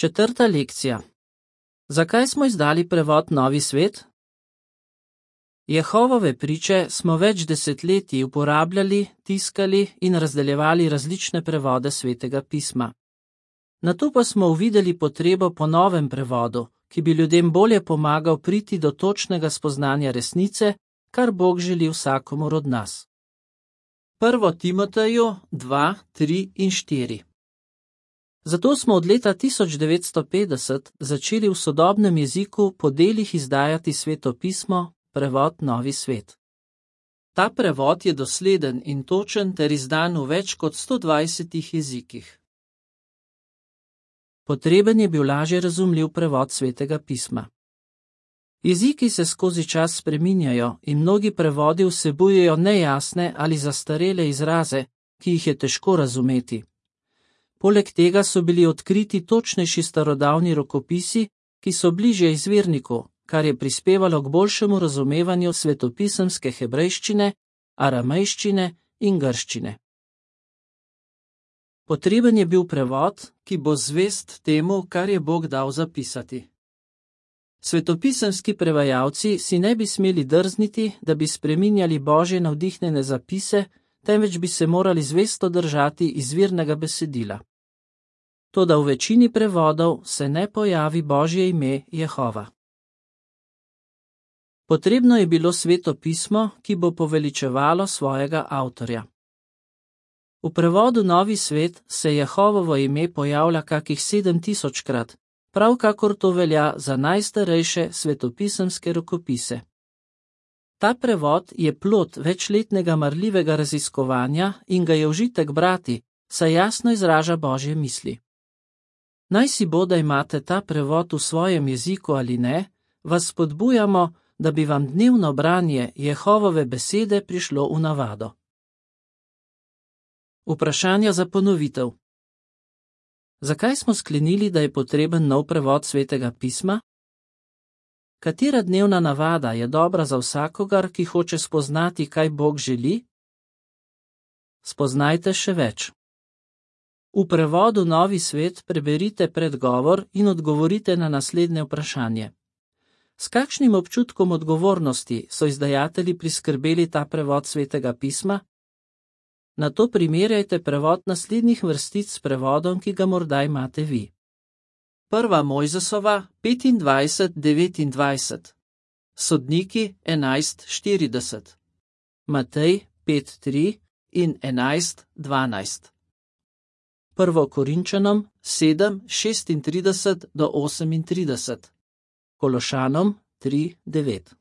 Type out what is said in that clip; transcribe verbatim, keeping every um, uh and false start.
Četrta lekcija. Zakaj smo izdali prevod Novi svet? Jehovove priče smo več desetletij uporabljali, tiskali in razdeljevali različne prevode Svetega pisma. Nato pa smo uvideli potrebo po novem prevodu, ki bi ljudem bolje pomagal priti do točnega spoznanja resnice, kar Bog želi vsakomur od nas. Prvo Timoteju dva, tri in štiri. Zato smo od leta tisoč devetsto petdeset začeli v sodobnem jeziku po delih izdajati Sveto pismo, prevod Novi svet. Ta prevod je dosleden in točen ter izdan v več kot sto dvajsetih jezikih. Potreben je bil lažje razumljiv prevod Svetega pisma. Jeziki se skozi čas spreminjajo in mnogi prevodi vsebujejo nejasne ali zastarele izraze, ki jih je težko razumeti. Poleg tega so bili odkriti točnejši starodavni rokopisi, ki so bližje izvirniku, kar je prispevalo k boljšemu razumevanju svetopisemske hebrejščine, aramejščine in grščine. Potreben je bil prevod, ki bo zvest temu, kar je Bog dal zapisati. Svetopisemski prevajalci si ne bi smeli drzniti, da bi spreminjali Božje navdihnjene zapise, temveč bi se morali zvesto držati izvirnega besedila. Toda v večini prevodov se ne pojavi Božje ime Jehova. Potrebno je bilo Sveto pismo, ki bo poveličevalo svojega avtorja. V prevodu Novi svet se Jehovovo ime pojavlja kakih sedem tisočkrat, prav kakor to velja za najstarejše svetopisemske rokopise. Ta prevod je plod večletnega marljivega raziskovanja in ga je užitek brati, saj jasno izraža Božje misli. Naj si bo, da imate ta prevod v svojem jeziku ali ne, vas spodbujamo, da bi vam dnevno branje Jehovove besede prišlo v navado. Vprašanja za ponovitev. Zakaj smo sklenili, da je potreben nov prevod Svetega pisma? Katera dnevna navada je dobra za vsakogar, ki hoče spoznati, kaj Bog želi? Spoznajte še več. V prevodu Novi svet preberite predgovor in odgovorite na naslednje vprašanje. S kakšnim občutkom odgovornosti so izdajatelji priskrbeli ta prevod Svetega pisma? Nato primerjajte prevod naslednjih vrstic s prevodom, ki ga morda imate vi. Prva Mojzesova petindvajset devetindvajset, Sodniki enajst štirideset, Matej pet tri in enajst dvanajst. Prvo Korinčanom sedem šestintrideset do osemintrideset, Kološanom tri devet.